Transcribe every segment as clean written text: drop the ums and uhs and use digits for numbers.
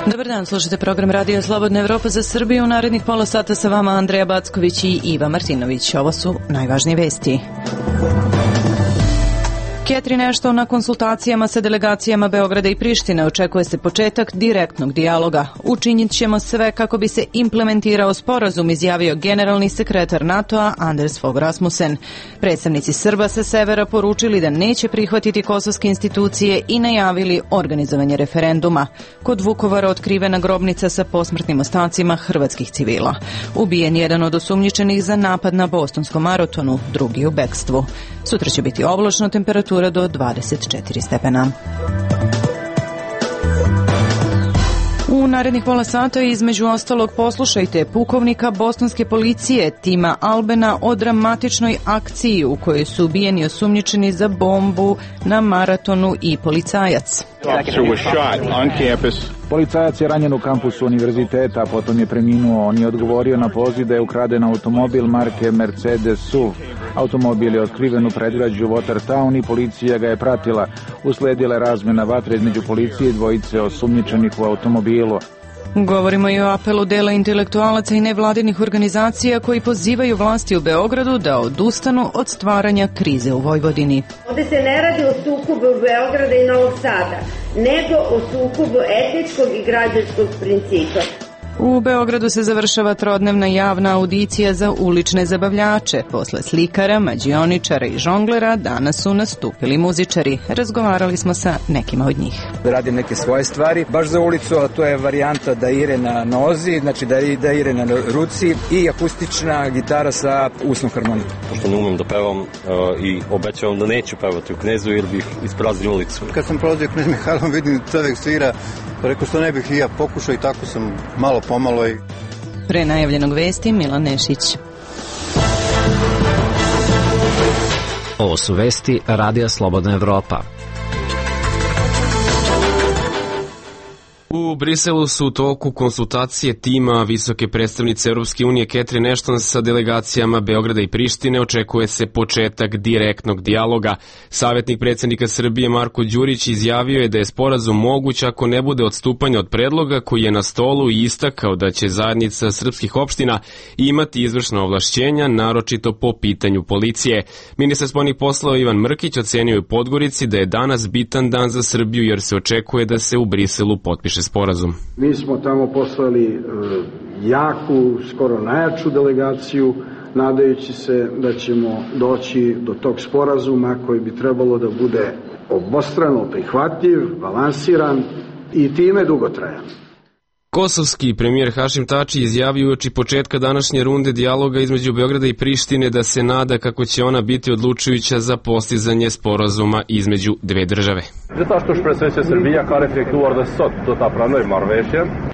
Dobar dan, slušate program Radio Slobodna Evropa za Srbiju. U narednih pola sata sa vama Andreja Backović i Iva Martinović. Ovo su najvažnije vesti. Catherine Ashton na konsultacijama sa delegacijama Beograda i Prištine očekuje se početak direktnog dijaloga. Učinit ćemo sve kako bi se implementirao sporazum, izjavio generalni sekretar NATO-a Anders Fogh Rasmussen. Predstavnici Srba sa severa poručili da neće prihvatiti kosovske institucije i najavili organizovanje referenduma. Kod Vukovara otkrivena grobnica sa posmrtnim ostacima hrvatskih civila. Ubijen jedan od osumnjičenih za napad na bostonskom maratonu, drugi u bekstvu. Sutra će biti oblačno, temperatura do 24 stepena. U narednih pola sata između ostalog poslušajte pukovnika bostonske policije Tima Albena o dramatičnoj akciji u kojoj su ubijeni osumnjičeni za bombu na maratonu i policajac. Policajac je ranjen u kampusu univerziteta, a potom je preminuo. On je odgovorio na poziv da je ukraden automobil marke Mercedes SUV. Automobil je otkriven u predgrađu Watertown i policija ga je pratila. Usledila je razmena vatre između policije i dvojice osumnjičenih u automobilu. Govorimo i o apelu dela intelektualaca i nevladinih organizacija koji pozivaju vlasti u Beogradu da odustanu od stvaranja krize u Vojvodini. Ovde se ne radi o sukobu Beograda i Novog Sada, nego o sukobu etničkog i građanskog principa. U Beogradu se završava trodnevna javna audicija za ulične zabavljače. Posle slikara, mađioničara i žonglera danas su nastupili muzičari. Razgovarali smo sa nekima od njih. Radim neke svoje stvari, baš za ulicu, a to je varijanta da ire na nozi, znači da ire na ruci i akustična gitara sa usnom harmonikom. Pošto ne umem da pevam i obećavam da neću pevati u Knezu jer bih ispraznio ulicu. Kad sam prolazio Knez Mihajlovom, vidim čovjek svira, pa rekao što ne bih i ja pokušao i tako sam malo pomalo i... Pre najavljenog vesti Milan Nešić. Ovo su vesti Radija Slobodna Evropa. U Briselu su u toku konsultacije tima visoke predstavnice Europske unije Catherine Ashton sa delegacijama Beograda i Prištine. Očekuje se početak direktnog dijaloga. Savjetnik predsjednika Srbije Marko Đurić izjavio je da je sporazum moguć ako ne bude odstupanja od predloga koji je na stolu i istakao da će zajednica srpskih opština imati izvršna ovlašćenja, naročito po pitanju policije. Ministar spoljnih poslova Ivan Mrkić ocenio je u Podgorici da je danas bitan dan za Srbiju jer se očekuje da se u Briselu potpiše sporazum. Mi smo tamo poslali jaku, skoro najjaču delegaciju, nadajući se da ćemo doći do tog sporazuma koji bi trebalo da bude obostrano prihvatljiv, balansiran i time dugotrajan. Kosovski premijer Hašim Tači izjavio uoči početka današnje runde dijaloga između Beograda i Prištine da se nada kako će ona biti odlučujuća za postizanje sporazuma između dve države.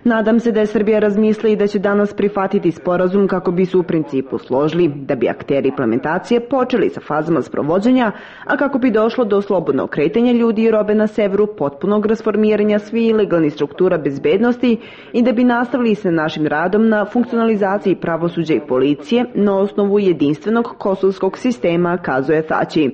Nadam se da je Srbija razmisli i da će danas prihvatiti sporazum kako bi se u principu složili, da bi akteri implementacije počeli sa fazama sprovođenja, a kako bi došlo do slobodnog kretanja ljudi i robe na severu, potpunog rasformiranja svih legalnih struktura bezbednosti i da bi nastavili sa našim radom na funkcionalizaciji pravosuđa i policije na osnovu jedinstvenog kosovskog sistema, kazuje Tači.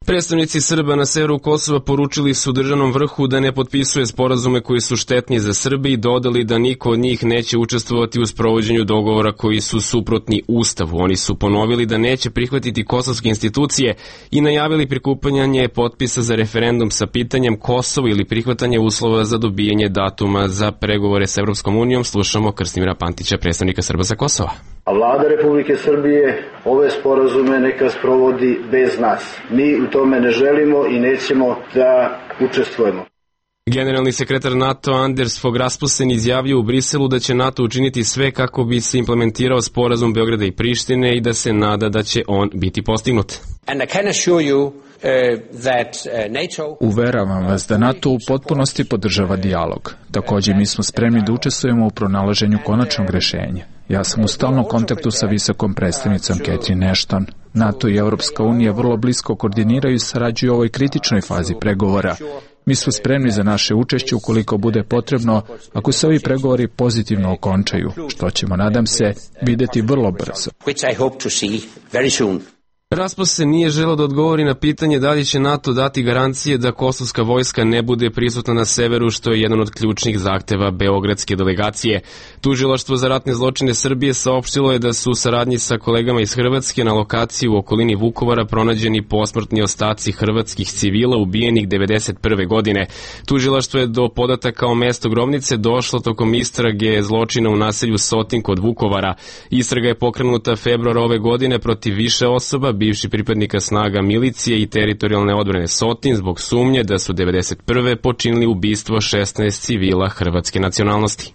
Predstavnici Srba na severu Kosova poručili su državnom vrhu da ne potpisuje sporazume koji su štetni za Srbiju i dodali da niko od njih neće učestvovati u sprovođenju dogovora koji su suprotni Ustavu. Oni su ponovili da neće prihvatiti kosovske institucije i najavili prikupljanje potpisa za referendum sa pitanjem Kosovo ili prihvatanje uslova za dobijanje datuma za pregovore s Evropskom unijom. Slušamo Krstimira Pantića, predstavnika Srba sa Kosova. A vlada Republike Srbije ove sporazume neka sprovodi bez nas. Mi u tome ne želimo i nećemo da učestvujemo. Generalni sekretar NATO Anders Fogh Rasmussen izjavio u Briselu da će NATO učiniti sve kako bi se implementirao sporazum Beograda i Prištine i da se nada da će on biti postignut. Uveravam vas da NATO u potpunosti podržava dijalog. Također mi smo spremni da učestvujemo u pronalaženju konačnog rješenja. Ja sam u stalnom kontaktu sa visokom predstavnicom Catherine Ashton. NATO i Europska unija vrlo blisko koordiniraju i sarađuju u ovoj kritičnoj fazi pregovora. Mi smo spremni za naše učešće ukoliko bude potrebno, ako se ovi pregovori pozitivno okončaju, što ćemo, nadam se, videti vrlo brzo. Rasmus se nije želeo da odgovori na pitanje da li će NATO dati garancije da kosovska vojska ne bude prisutna na severu, što je jedan od ključnih zahteva beogradske delegacije. Tužilaštvo za ratne zločine Srbije saopštilo je da su u saradnji sa kolegama iz Hrvatske na lokaciji u okolini Vukovara pronađeni posmrtni ostaci hrvatskih civila ubijenih 1991. godine. Tužilaštvo je do podataka o mestu grobnice došlo tokom istrage zločina u naselju Sotin kod Vukovara. Istraga je pokrenuta februara ove godine protiv više osoba, bivši pripadnika snaga milicije i teritorijalne odbrane Sotin, zbog sumnje da su 1991. počinili ubistvo 16 civila hrvatske nacionalnosti.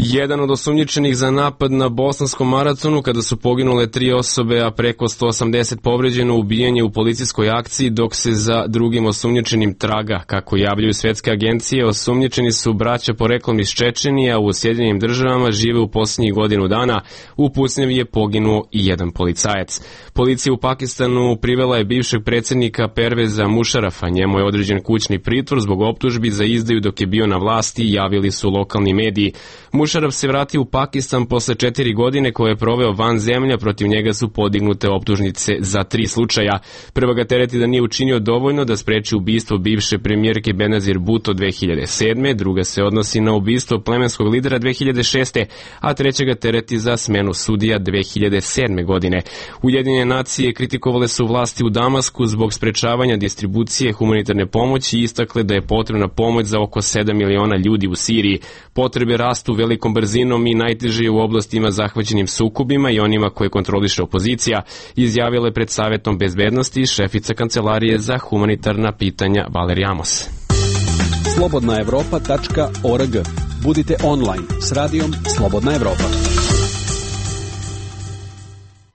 Jedan od osumnjičenih za napad na bosanskom maratonu kada su poginule 3 osobe, a preko 180 povređeno, ubijen je u policijskoj akciji, dok se za drugim osumnjičenim traga. Kako javljaju svetske agencije, osumnjičeni su braća poreklom iz Čečenije, a u Sjedinjenim Državama žive u posljednjih godinu dana. U pucnjavi je poginuo i jedan policajac. Policija u Pakistanu privela je bivšeg predsjednika Perveza Mušarafa. Njemu je određen kućni pritvor zbog optužbi za izdaju dok je bio na vlasti, javili su lokalni mediji. Mušaraf se vratio u Pakistan posle 4 godine koje je proveo van zemlja, protiv njega su podignute optužnice za 3 slučaja. Prva ga tereti da nije učinio dovoljno da spreči ubistvo bivše premijerke Benazir Bhutto 2007. Druga se odnosi na ubistvo plemenskog lidera 2006. a treća ga tereti za smenu sudija 2007. godine. Ujedinjene nacije kritikovale su vlasti u Damasku zbog sprečavanja distribucije humanitarne pomoći i istakle da je potrebna pomoć za oko 7 miliona ljudi u Siriji. Potrebe rastu velikom brzinom i najteže u oblastima zahvaćenim sukobima i onima koje kontroliše opozicija, izjavila je pred Savetom bezbednosti šefica Kancelarije za humanitarna pitanja Valerija Amos. slobodnaevropa.org. Budite online s radijom Slobodna Evropa.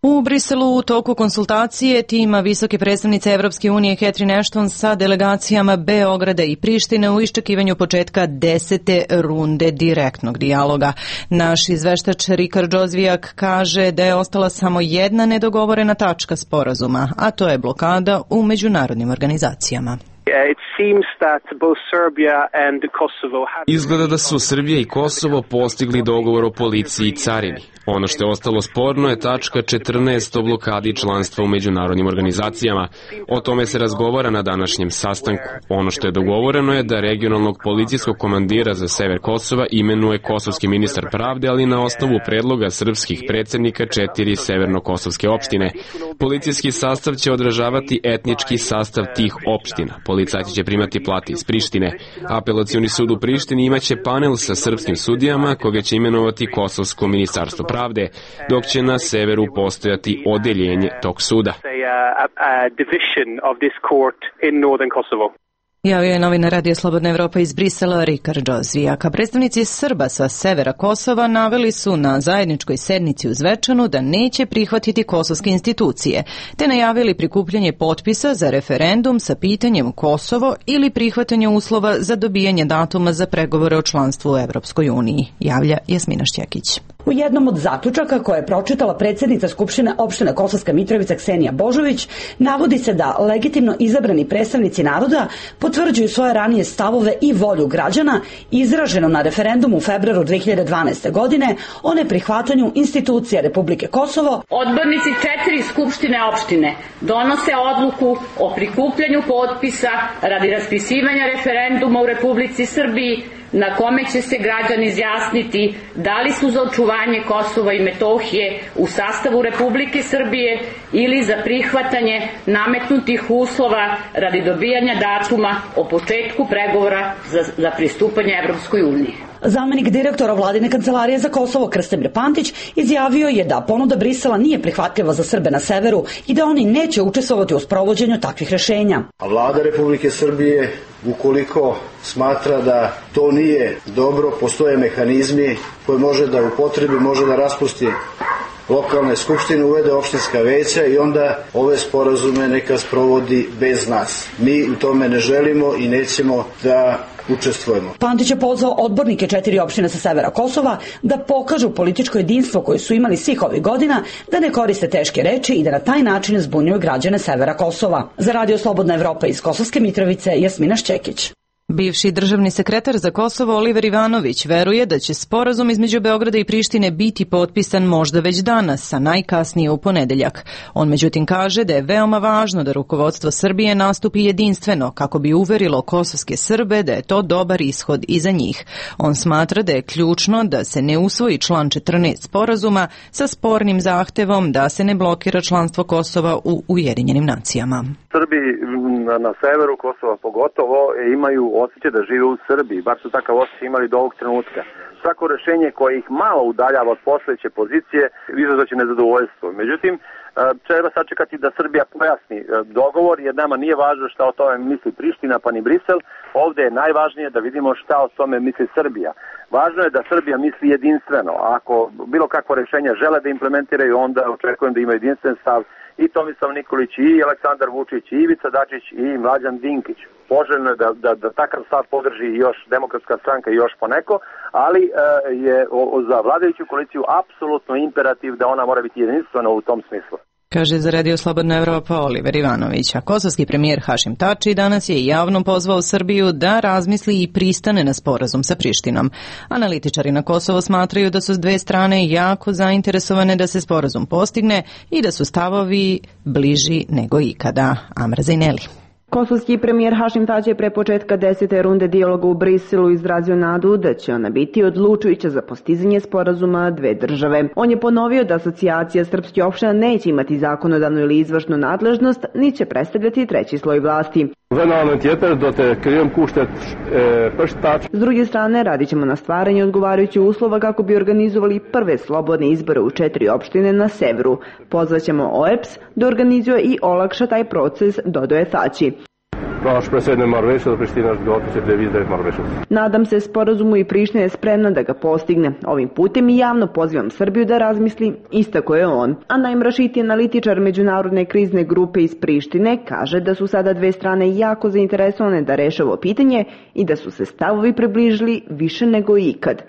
U Briselu u toku konsultacije tima visoke predstavnice Evropske unije Catherine Ashton sa delegacijama Beograda i Prištine u iščekivanju početka 10. runde direktnog dijaloga. Naš izveštač Rikard Džozvijak kaže da je ostala samo jedna nedogovorena tačka sporazuma, a to je blokada u međunarodnim organizacijama. Izgleda da su Srbija i Kosovo postigli dogovor o policiji i carini. Ono što je ostalo sporno je tačka 14 o blokadi članstva u međunarodnim organizacijama. O tome se razgovara na današnjem sastanku. Ono što je dogovoreno je da regionalnog policijskog komandira za sever Kosova imenuje kosovski ministar pravde, ali na osnovu predloga srpskih predsjednika 4 severno-kosovske opštine. Policijski sastav će odražavati etnički sastav tih opština. Policajci će primati plate iz Prištine. Apelacioni sud u Prištini imaće panel sa srpskim sudijama koga će imenovati Kosovsko ministarstvo pravde, dok će na severu postojati odeljenje tog suda. Javio je novinar Radio Slobodna Evropa iz Brisela Rikard Džozvijak. Predstavnici Srba sa severa Kosova naveli su na zajedničkoj sednici u Zvečanu da neće prihvatiti kosovske institucije, te najavili prikupljanje potpisa za referendum sa pitanjem Kosovo ili prihvatanje uslova za dobijanje datuma za pregovore o članstvu u Evropskoj uniji, javlja Jasmina Šćekić. U jednom od zaključaka koje je pročitala predsjednica Skupštine opštine Kosovska Mitrovica Ksenija Božović, navodi se da legitimno izabrani predstavnici naroda potvrđuju svoje ranije stavove i volju građana izraženo na referendumu u februaru 2012. godine o neprihvatanju institucija Republike Kosovo. Odbornici 4 skupštine opštine donose odluku o prikupljanju potpisa radi raspisivanja referenduma u Republici Srbiji na kome će se građani izjasniti da li su za očuvanje Kosova i Metohije u sastavu Republike Srbije ili za prihvatanje nametnutih uslova radi dobijanja datuma o početku pregovora za pristupanje Evropskoj uniji. Zamenik direktora Vladine kancelarije za Kosovo Krstimir Pantić izjavio je da ponuda Brisela nije prihvatljiva za Srbe na severu i da oni neće učestvovati u sprovođenju takvih rešenja. A Vlada Republike Srbije, ukoliko smatra da to nije dobro, postoje mehanizmi koje može da upotrebi, može da raspusti lokalne skupštine uvede opštinska veća i onda ove sporazume neka sprovodi bez nas. Mi u tome ne želimo i nećemo da učestvujemo. Pantić je pozvao odbornike 4 opštine sa severa Kosova da pokažu političko jedinstvo koje su imali svih ovih godina, da ne koriste teške reči i da na taj način zbunjuju građane severa Kosova. Za Radio Slobodna Evropa iz Kosovske Mitrovice, Jasmina Šćekić. Bivši državni sekretar za Kosovo Oliver Ivanović veruje da će sporazum između Beograda i Prištine biti potpisan možda već danas, a najkasnije u ponedeljak. On međutim kaže da je veoma važno da rukovodstvo Srbije nastupi jedinstveno kako bi uverilo kosovske Srbe da je to dobar ishod i za njih. On smatra da je ključno da se ne usvoji član 14 sporazuma sa spornim zahtevom da se ne blokira članstvo Kosova u Ujedinjenim nacijama. Srbi na severu Kosova pogotovo imaju osjećaj da žive u Srbiji, bar su takav osjećaj imali do ovog trenutka. Svako rešenje koje ih malo udaljava od postojeće pozicije izazvaće nezadovoljstvo. Međutim, treba sačekati da Srbija pojasni dogovor, jer nama nije važno šta o tome misli Priština pa ni Brisel. Ovde je najvažnije da vidimo šta o tome misli Srbija. Važno je da Srbija misli jedinstveno. Ako bilo kakvo rešenje žele da implementiraju, onda očekujem da ima jedinstven stav i Tomislav Nikolić, i Aleksandar Vučić, i Ivica Dačić, i Mlađan Dinkić. Poželjno je da takav stav podrži još Demokratska stranka i još poneko, ali je za vladajuću koaliciju apsolutno imperativ da ona mora biti jedinstvena u tom smislu. Kaže za Radio Slobodna Evropa Oliver Ivanović. A kosovski premijer Hašim Tači danas je javno pozvao Srbiju da razmisli i pristane na sporazum sa Prištinom. Analitičari na Kosovo smatraju da su s dve strane jako zainteresovane da se sporazum postigne i da su stavovi bliži nego ikada. Amra Zajneli. Kosovski premijer Hašim Tači je pre početka 10. runde dijaloga u Briselu izrazio nadu da će ona biti odlučujuća za postizanje sporazuma dve države. On je ponovio da asocijacija srpskih opština neće imati zakonodavnu ili izvršnu nadležnost, ni će predstavljati treći sloj vlasti. S druge strane, radit ćemo na stvaranju odgovarajućih uslova kako bi organizovali prve slobodne izbore u 4 opštine na severu. Pozvaćemo OEBS da organizuje i olakša taj proces, dodaje Tači. Nadam se sporazumu i Priština je spremna da ga postigne. Ovim putem i javno pozivam Srbiju da razmisli, istako je on. A najmrašitiji analitičar međunarodne krizne grupe iz Prištine kaže da su sada dve strane jako zainteresovane da reše ovo pitanje i da su se stavovi približili više nego ikad.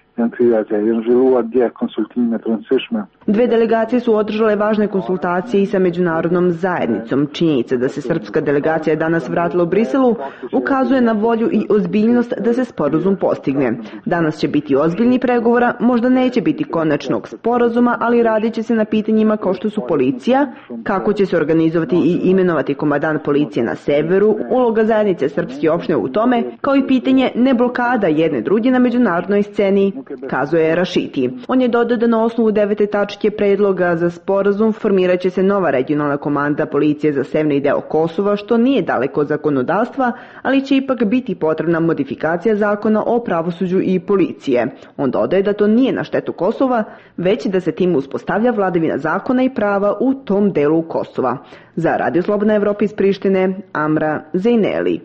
Dve delegacije su održale važne konsultacije i sa međunarodnom zajednicom. Činjenica da se srpska delegacija danas vratila u Briselu ukazuje na volju i ozbiljnost da se sporazum postigne. Danas će biti ozbiljni pregovora, možda neće biti konačnog sporazuma, ali radit će se na pitanjima kao što su policija, kako će se organizovati i imenovati komandant policije na severu, uloga zajednice srpske opštine u tome, kao i pitanje neblokada jedne druge na međunarodnoj sceni, kazuje Rašiti. On je dodao da na osnovu 9. tačke predloga za sporazum formirat će se nova regionalna komanda policije za severni deo Kosova, što nije daleko od zakonodavstva, ali će ipak biti potrebna modifikacija zakona o pravosuđu i policije. On dodaje da to nije na štetu Kosova, već da se tim uspostavlja vladavina zakona i prava u tom delu Kosova. Za Radio Slobodna Evropa iz Prištine, Amra Zajneli.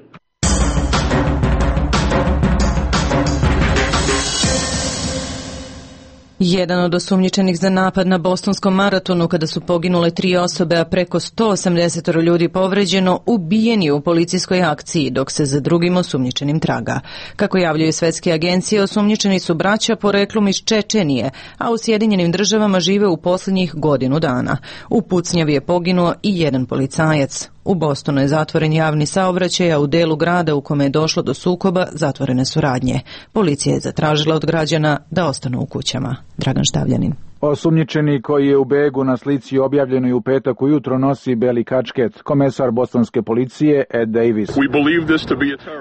Jedan od osumnjičenih za napad na bostonskom maratonu kada su poginule 3 osobe, a preko 180 ljudi povređeno, ubijen je u policijskoj akciji, dok se za drugim osumnjičenim traga. Kako javljaju svetske agencije, osumnjičeni su braća poreklom iz Čečenije, a u Sjedinjenim državama žive u posljednjih godinu dana. U pucnjavi je poginuo i jedan policajac. U Bostonu je zatvoren javni saobraćaj, a u delu grada u kome je došlo do sukoba zatvorene su radnje. Policija je zatražila od građana da ostanu u kućama. Dragan Štavljanin. Osumnjičeni koji je u begu na slici objavljenoj u petak ujutro nosi beli kačket, komesar bostonske policije Ed Davis.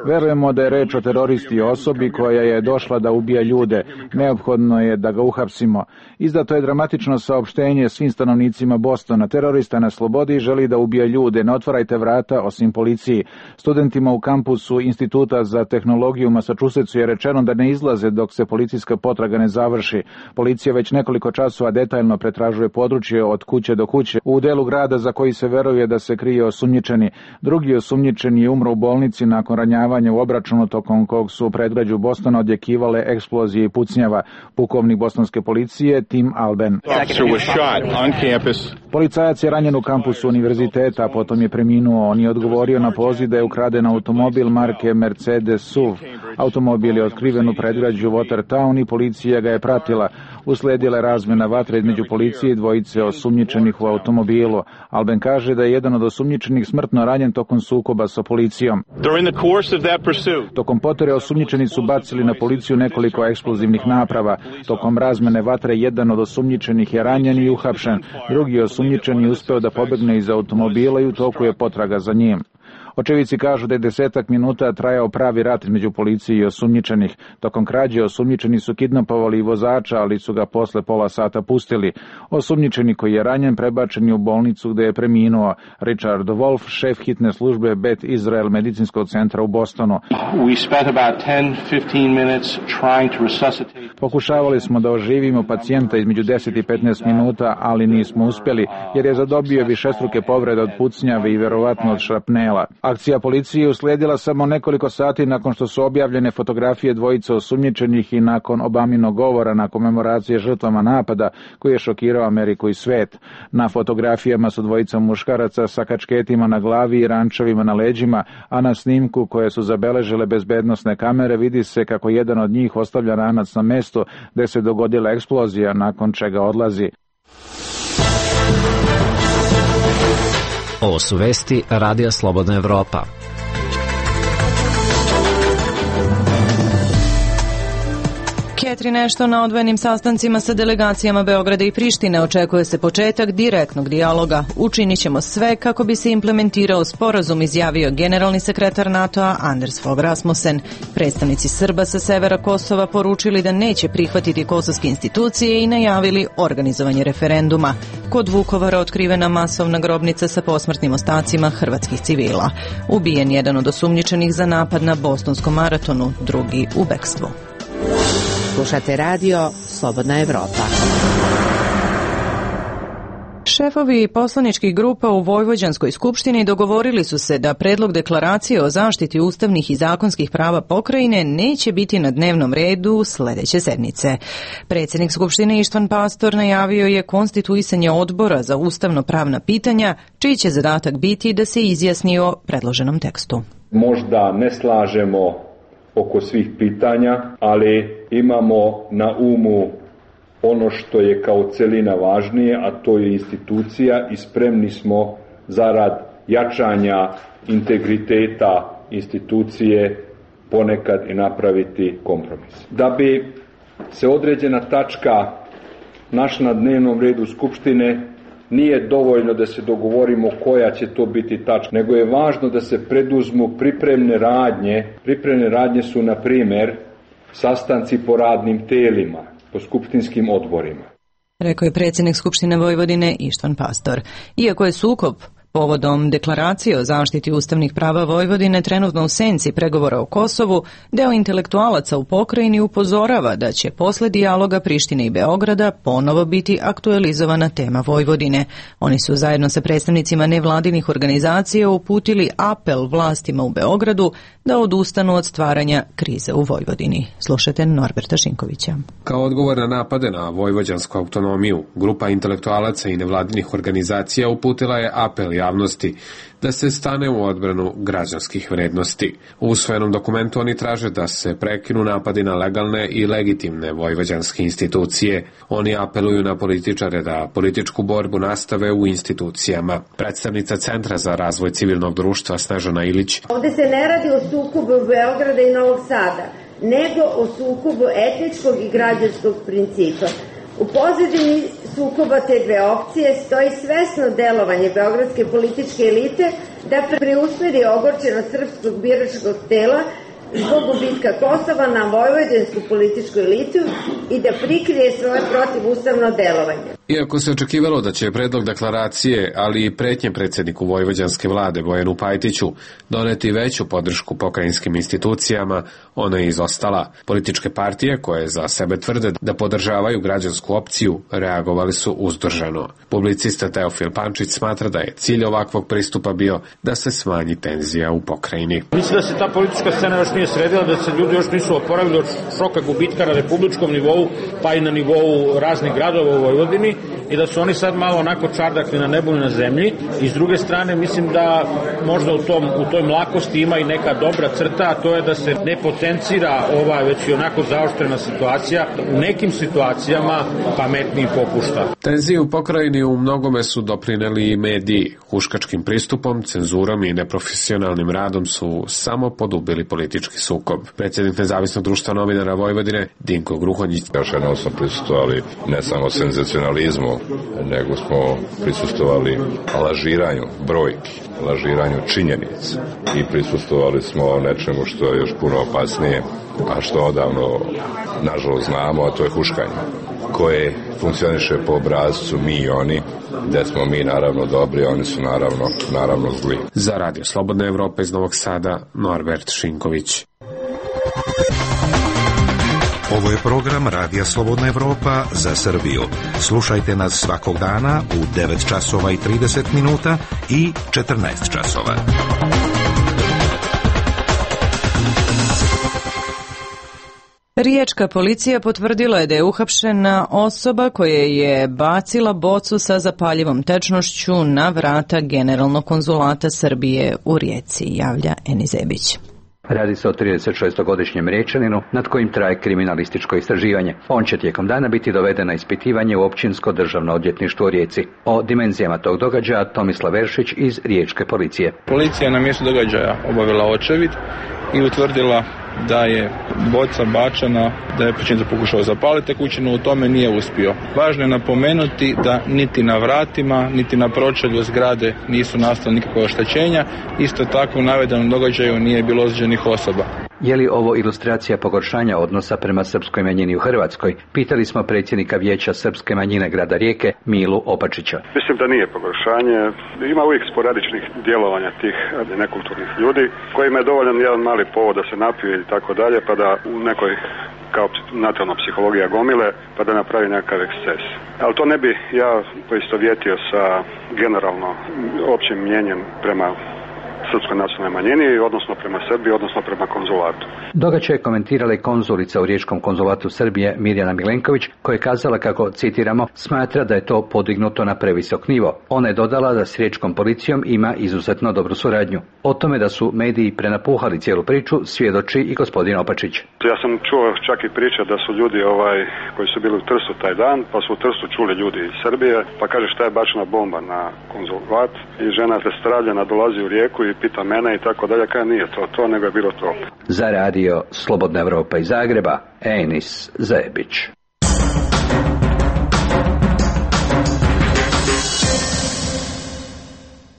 Verujemo da je reč o teroristi osobi koja je došla da ubija ljude. Neophodno je da ga uhapsimo. Izdato je dramatično saopštenje svim stanovnicima Bostona. Terorista na slobodi želi da ubija ljude. Ne otvarajte vrata osim policiji. Studentima u kampusu Instituta za tehnologiju u Massachusettsu je rečeno da ne izlaze dok se policijska potraga ne završi. Policija već nekoliko časova časova detaljno pretražuje područje od kuće do kuće u delu grada za koji se veruje da se krije osumnjičeni. Drugi osumnjičeni je umro u bolnici nakon ranjavanja u obračunu tokom kog su u predgrađu Bostona odjekivale eksplozije i pucnjava. Pukovnik bostonske policije Tim Alben. Policajac je ranjen u kampusu univerziteta, potom je preminuo. On je odgovorio na poziv da je ukraden automobil marke Mercedes SUV. Automobil je otkriven u predgrađu Watertown i policija ga je pratila. Usledila je razmjena vatre između policije i dvojice osumnjičenih u automobilu. Alben kaže da je jedan od osumnjičenih smrtno ranjen tokom sukoba sa policijom. Tokom potere osumnjičeni su bacili na policiju nekoliko eksplozivnih naprava. Tokom razmjene vatre jedan od osumnjičenih je ranjen i uhapšen. Drugi osumnjičeni je uspeo da pobegne iz automobila i u toku je potraga za njim. Očevici kažu da je 10 minuta trajao pravi rat između policije i osumnjičenih. Tokom krađe osumnjičeni su kidnapovali i vozača, ali su ga posle pola sata pustili. Osumnjičeni koji je ranjen prebačen je u bolnicu gde je preminuo. Richard Wolf, šef hitne službe Beth Israel medicinskog centra u Bostonu. Pokušavali smo da oživimo pacijenta između 10 i 15 minuta, ali nismo uspeli, jer je zadobio višestruke povrede od pucnjave i verovatno od šrapnela. Akcija policije uslijedila samo nekoliko sati nakon što su objavljene fotografije dvojice osumnjičenih i nakon Obaminog govora na komemoracije žrtvama napada koji je šokirao Ameriku i svet. Na fotografijama su dvojica muškaraca sa kačketima na glavi i rančevima na leđima, a na snimku koje su zabeležile bezbednosne kamere vidi se kako jedan od njih ostavlja ranac na mestu gde se dogodila eksplozija, nakon čega odlazi. Ovo su vesti Radija Slobodna Evropa. Catherine Ashton na odvojenim sastancima sa delegacijama Beograda i Prištine očekuje se početak direktnog dijaloga. Učinit ćemo sve kako bi se implementirao sporazum, izjavio generalni sekretar NATO-a Anders Fogh Rasmussen. Predstavnici Srba sa severa Kosova poručili da neće prihvatiti kosovske institucije i najavili organizovanje referenduma. Kod Vukovara otkrivena masovna grobnica sa posmrtnim ostacima hrvatskih civila. Ubijen jedan od osumnjičenih za napad na bostonskom maratonu, drugi u bekstvu. Slušate radio Slobodna Evropa. Šefovi poslaničkih grupa u Vojvođanskoj skupštini dogovorili su se da predlog deklaracije o zaštiti ustavnih i zakonskih prava pokrajine neće biti na dnevnom redu sledeće sedmice. Predsjednik skupštine Ištvan Pastor najavio je konstituisanje odbora za ustavno-pravna pitanja, čiji će zadatak biti da se izjasni o predloženom tekstu. Možda ne slažemo oko svih pitanja, ali imamo na umu ono što je kao celina važnije, a to je institucija i spremni smo zarad jačanja integriteta institucije ponekad i napraviti kompromis. Da bi se određena tačka našla na dnevnom redu Skupštine, nije dovoljno da se dogovorimo koja će to biti tačka, nego je važno da se preduzmu pripremne radnje. Pripremne radnje su, na primer, sastanci po radnim telima, po skupštinskim odborima. Rekao je predsjednik Skupštine Vojvodine Ištvan Pastor. Iako je sukob povodom deklaracije o zaštiti ustavnih prava Vojvodine trenutno u senci pregovora o Kosovu, deo intelektualaca u pokrajini upozorava da će posle dijaloga Prištine i Beograda ponovo biti aktualizovana tema Vojvodine. Oni su zajedno sa predstavnicima nevladinih organizacija uputili apel vlastima u Beogradu da odustanu od stvaranja krize u Vojvodini. Slušajte Norberta Šinkovića. Kao odgovor na napade na vojvođansku autonomiju, grupa intelektualaca i nevladinih organizacija uputila je apel javnosti da se stane u odbranu građanskih vrednosti. U usvojenom dokumentu oni traže da se prekinu napadi na legalne i legitimne vojvođanske institucije. Oni apeluju na političare da političku borbu nastave u institucijama. Predstavnica Centra za razvoj civilnog društva Snežana Ilić. Ovde se ne radi o sukobu Beograda i Novog Sada, nego o sukobu etničkog i građanskog principa. U pozadini sukoba te dve opcije stoji svesno delovanje beogradske političke elite da preusmeri ogorčenost srpskog biračkog tela zbog gubitka Kosova na vojvođansku političku elitu i da prikrije svoje protivustavno delovanje. Iako se očekivalo da će predlog deklaracije, ali i pretnje predsjedniku vojvođanske vlade Bojanu Pajtiću doneti veću podršku pokrajinskim institucijama, ona je izostala. Političke partije koje za sebe tvrde da podržavaju građansku opciju reagovali su uzdržano. Publicista Teofil Pančić smatra da je cilj ovakvog pristupa bio da se smanji tenzija u pokrajini. Mislim da se ta politička scena još nije sredila, da se ljudi još nisu oporavili od šoka gubitka na republičkom nivou, pa i na nivou raznih gradova u Vojvodini, i da su oni sad malo onako čardakli na nebu i na zemlji. I s druge strane mislim da možda u toj mlakosti ima i neka dobra crta, a to je da se ne potencira ova već i onako zaoštrena situacija, u nekim situacijama pametniji popušta. Tenzije u pokrajini u mnogome su doprineli i mediji. Huškačkim pristupom, cenzurom i neprofesionalnim radom su samo podubili politički sukob. Predsjednik Nezavisnog društva novinara Vojvodine Dinko Gruhonjić. Još jednom smo prisustvovali ne samo senzacionalizmu, nego smo prisustvovali lažiranju brojki, lažiranju činjenica i prisustvovali smo nečemu što je još puno opasnije, a što odavno nažalost znamo, a to je huškanje, koje funkcioniše po obrazcu mi i oni, gde smo mi naravno dobri, oni su naravno zli. Za Radio Slobodna Evropa iz Novog Sada, Norbert Šinković. Ovo je program Radija Slobodna Evropa za Srbiju. Slušajte nas svakog dana u 9 časova i 30 minuta i 14 časova. Riječka policija potvrdila je da je uhapšena osoba koja je bacila bocu sa zapaljivom tečnošću na vrata Generalnog konzulata Srbije u Rijeci, javlja Enis Zebić. Radi se o 36-godišnjem Riječaninu nad kojim traje kriminalističko istraživanje. On će tijekom dana biti doveden na ispitivanje u Općinsko državno odvjetništvo u Rijeci. O dimenzijama tog događaja Tomislav Veršić iz Riječke policije. Policija je na mjestu događaja obavila očevid i utvrdila da je boca bačena, da je počinitelj pokušao zapaliti tekućinu, u tome nije uspio. Važno je napomenuti da niti na vratima, niti na pročelju zgrade nisu nastala nikakva oštećenja. Isto tako u navedenom događaju nije bilo ozlijeđenih osoba. Je li ovo ilustracija pogoršanja odnosa prema srpskoj manjini u Hrvatskoj? Pitali smo predsjednika Vijeća srpske manjine grada Rijeke, Milu Opačića. Mislim da nije pogoršanje. Ima uvijek sporadičnih djelovanja tih nekulturnih ljudi kojima je dovoljan jedan mali povod da se napije i tako dalje, pa da u nekoj kao nacionalna psihologija gomile, pa da napravi nekakav eksces. Ali to ne bi ja poistovjetio sa generalno općim mnjenjem prema srpskoj nacionalnoj manjini, odnosno prema Srbiji, odnosno prema konzulatu. Događaj je komentirala i konzulica u Riječkom konzulatu Srbije Mirjana Milenković, koja je kazala kako, citiramo, smatra da je to podignuto na previsok nivo. Ona je dodala da s riječkom policijom ima izuzetno dobru suradnju. O tome da su mediji prenapuhali cijelu priču svjedoči i gospodin Opačić. Ja sam čuo čak i priče da su ljudi koji su bili u Trstu taj dan, pa su u Trstu čuli ljudi iz Srbije, pa kaže šta je bačena bomba na konzulat i žena rastravljena dolazi u Rijeku i pita mene i tako dalje, kada nije to, nego je bilo to. Za Radio Slobodna Evropa iz Zagreba, Enis Zebić.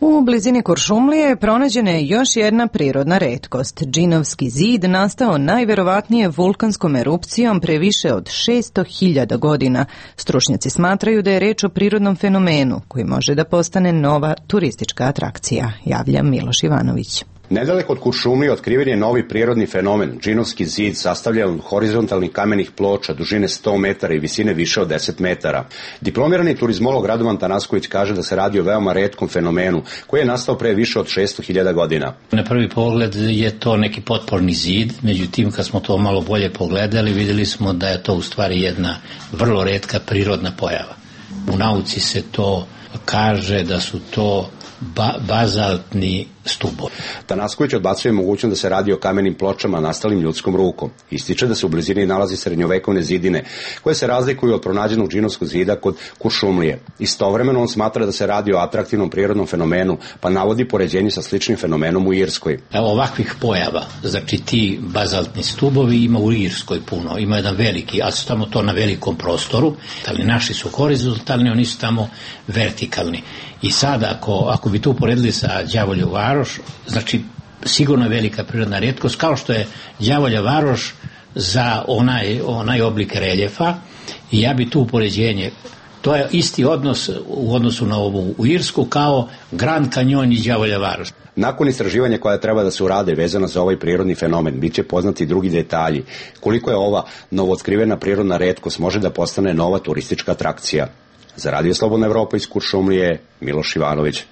U blizini Kuršumlije pronađena je još jedna prirodna retkost. Džinovski zid nastao najverovatnije vulkanskom erupcijom pre više od 600.000 godina. Stručnjaci smatraju da je reč o prirodnom fenomenu koji može da postane nova turistička atrakcija, javlja Miloš Ivanović. Nedaleko od Kuršumlije otkriven je novi prirodni fenomen, Džinovski zid, sastavljen od horizontalnih kamenih ploča dužine 100 metara i visine više od 10 metara. Diplomirani turizmolog Radovan Tanasković kaže da se radi o veoma retkom fenomenu, koji je nastao pre više od 600.000 godina. Na prvi pogled je to neki potporni zid, međutim kad smo to malo bolje pogledali, vidjeli smo da je to u stvari jedna vrlo retka prirodna pojava. U nauci se to kaže da su to bazaltni stubovi. Tanasković odbacuje mogućnost da se radi o kamenim pločama nastalim ljudskom rukom. Ističe da se u blizini nalazi srednjovekovne zidine, koje se razlikuju od pronađenog Džinovskog zida kod Kuršumlije. Istovremeno on smatra da se radi o atraktivnom prirodnom fenomenu, pa navodi poređenje sa sličnim fenomenom u Irskoj. Ovakvih pojava, znači ti bazaltni stubovi ima u Irskoj puno, ima jedan veliki, ali su tamo to na velikom prostoru, ali naši su horizontalni, oni su tamo vertikalni. I sad ako bi to uporedili sa Đavolju Varoš, znači sigurno je velika prirodna retkost, kao što je Đavolja Varoš za onaj oblik reljefa, i ja bi tu upoređenje To je isti odnos u odnosu na ovu u Irsku kao Grand Canyon i Đavolja varoš. Nakon istraživanja koja treba da se urade vezano za ovaj prirodni fenomen, bit će poznati drugi detalji. Koliko je ova novootkrivena prirodna retkost može da postane nova turistička atrakcija. Za Radio Slobodna Evropa iz Kuršumlije, Miloš Ivanović.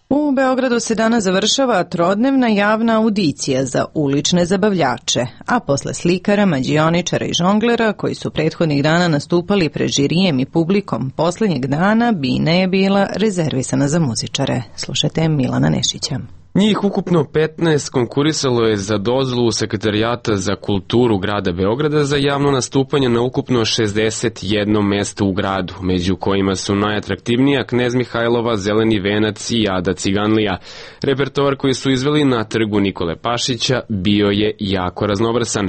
U Beogradu se danas završava trodnevna javna audicija za ulične zabavljače, a posle slikara, mađioničara i žonglera koji su prethodnih dana nastupali pred žirijem i publikom, poslednjeg dana bina je bila rezervisana za muzičare. Slušajte Milana Nešića. Njih ukupno 15 konkurisalo je za dozvolu Sekretarijata za kulturu grada Beograda za javno nastupanje na ukupno 61 mesto u gradu, među kojima su najatraktivnija Knez Mihajlova, Zeleni venac i Ada Ciganlija. Repertoar koji su izveli na trgu Nikole Pašića bio je jako raznovrsan.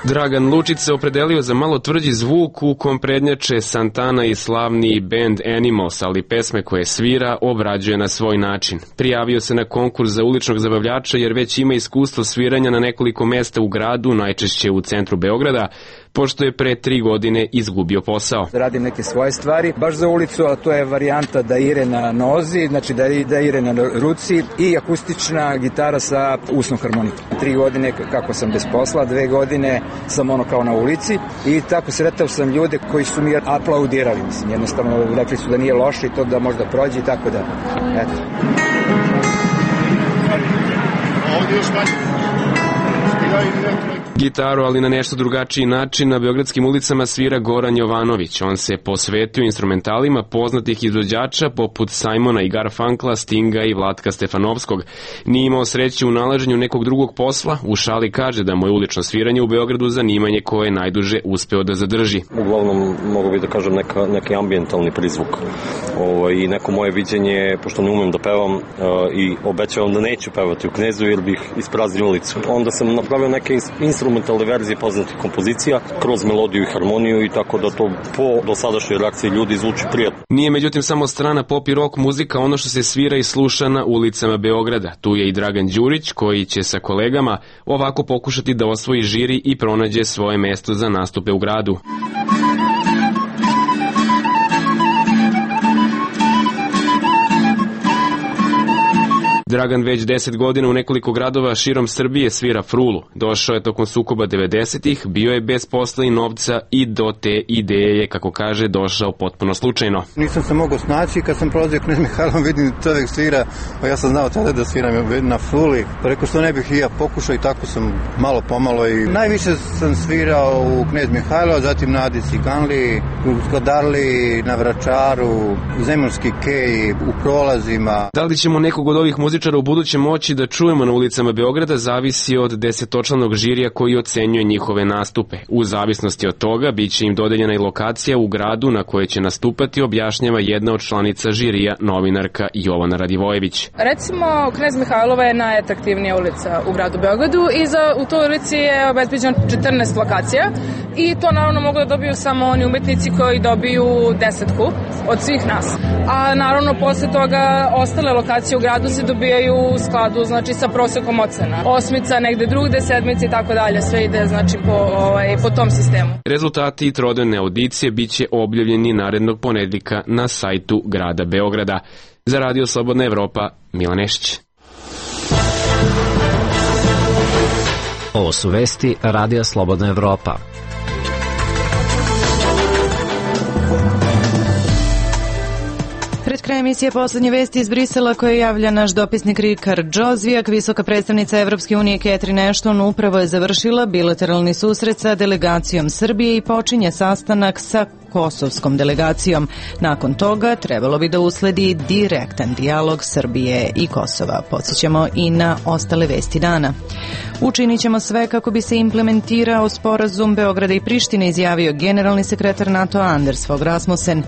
Dragan Lučić se opredelio za malo tvrđi zvuk u kom prednjače Santana i slavni band Animals, ali pesme koje svira obrađuje na svoj način. Prijavio se na konkurs za uličnog zabavljača jer već ima iskustvo sviranja na nekoliko mesta u gradu, najčešće u centru Beograda, pošto je pre 3 godine izgubio posao. Radim neke svoje stvari, baš za ulicu, a to je varijanta da ire na nozi, znači da ire na ruci i akustična gitara sa usnom harmonikom. 3 godine kako sam bez posla, 2 godine sam kao na ulici i tako sretao sam ljude koji su mi aplaudirali, mislim, jednostavno rekli su da nije loše i to da možda prođe i tako da, eto. Ovdje još manje. Gitaru, ali na nešto drugačiji način, na beogradskim ulicama svira Goran Jovanović. On se posvetio instrumentalima poznatih izvođača poput Simona i Garfunkla, Stinga i Vlatka Stefanovskog. Nije imao sreće u nalaženju nekog drugog posla, u šali kaže da mu je ulično sviranje u Beogradu zanimanje koje je najduže uspeo da zadrži. Uglavnom, mogu bi da kažem, neki ambijentalni prizvuk i neko moje viđenje, pošto ne umem da pevam i obećavam da neću pevati u Knezu jer bih ispraznio ulicu. Onda sam napravio neke instrumentalne verzije poznatih kompozicija kroz melodiju i harmoniju i tako da to po dosadašnjoj reakciji ljudi zvuči prijatno. Nije međutim samo strana pop i rock muzika ono što se svira i sluša na ulicama Beograda. Tu je i Dragan Đurić koji će sa kolegama ovako pokušati da osvoji žiri i pronađe svoje mesto za nastupe u gradu. Dragan već 10 godina u nekoliko gradova širom Srbije svira frulu. Došao je tokom sukoba 90-ih, bio je bez posla i novca i do te ideje je, kako kaže, došao potpuno slučajno. Nisam se mogao snaći, kad sam prolazio Knez Mihajlom, vidim čovjek svira, pa ja sam znao tada da sviram na fruli. Pa rekao što ne bih i ja pokušao i tako sam malo pomalo i najviše sam svirao u Knez Mihajlo, zatim na Adi Ciganliji, u Skodarli, na Vračaru, u Zemunski kej, u prolazima. Da li ćemo nekog od ovih muzičara u buduće moći da čujemo na ulicama Beograda zavisi od 10-članog žirija koji ocenjuje njihove nastupe. U zavisnosti od toga biće im dodeljena i lokacija u gradu na kojoj će nastupati, objašnjava jedna od članica žirija, novinarka Jovana Radivojević. Recimo, Knez Mihajlova je najatraktivnija ulica u gradu Beogradu i u toj ulici je obezbeđeno 14 lokacija i to naravno mogu da dobiju samo oni umetnici koji dobiju 10 od svih nas. A naravno posle toga ostale lokacije u gradu se dobijaju u skladu, znači, sa prosekom ocena. 8, negde drugde, 7 i tako dalje, sve ide, znači, po tom sistemu. Rezultati trodnevne audicije biće objavljeni narednog ponedjeljka na sajtu grada Beograda. Za Radio Slobodna Evropa, Milan Nešić. Ovo su vesti Radija Slobodna Evropa. Pred krajem emisije poslednje vesti iz Brisela koje javlja naš dopisnik Rikard Džozvijak. Visoka predstavnica Evropske unije Catherine Ashton upravo je završila bilateralni susret sa delegacijom Srbije i počinje sastanak sa kosovskom delegacijom. Nakon toga trebalo bi da usledi direktan dijalog Srbije i Kosova. Podsjećamo i na ostale vesti dana. Učinit ćemo sve kako bi se implementirao sporazum Beograda i Prištine, izjavio generalni sekretar NATO Anders Fogh Rasmussen.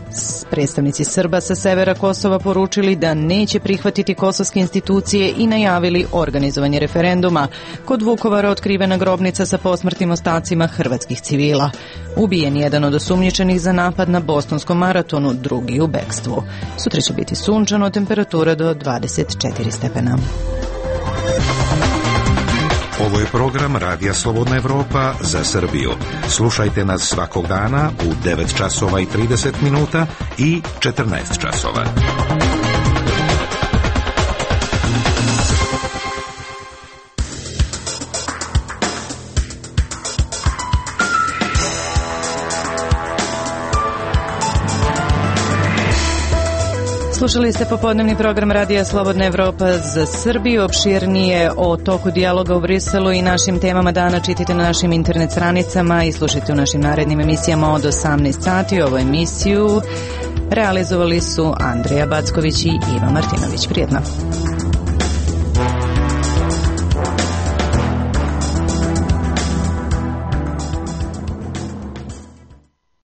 Predstavnici Srba sa severa Kosova poručili da neće prihvatiti kosovske institucije i najavili organizovanje referenduma. Kod Vukovara otkrivena grobnica sa posmrtnim ostacima hrvatskih civila. Ubijen jedan od osumnjičenih za za napad na bostonskom maratonu, drugi u bekstvu. Sutra će biti sunčano, temperatura do 24 stepena. Ovo je program Radija Slobodna Evropa za Srbiju. Slušajte nas svakog dana u 9 časova i 30 minuta i 14 časova. Slušali ste popodnevni program Radija Slobodna Evropa za Srbiju. Opširnije o toku dijaloga u Briselu i našim temama dana čitajte na našim internet stranicama i slušajte u našim narednim emisijama od 18 sati. Ovu emisiju realizovali su Andrija Backović i Iva Martinović. Prijetno.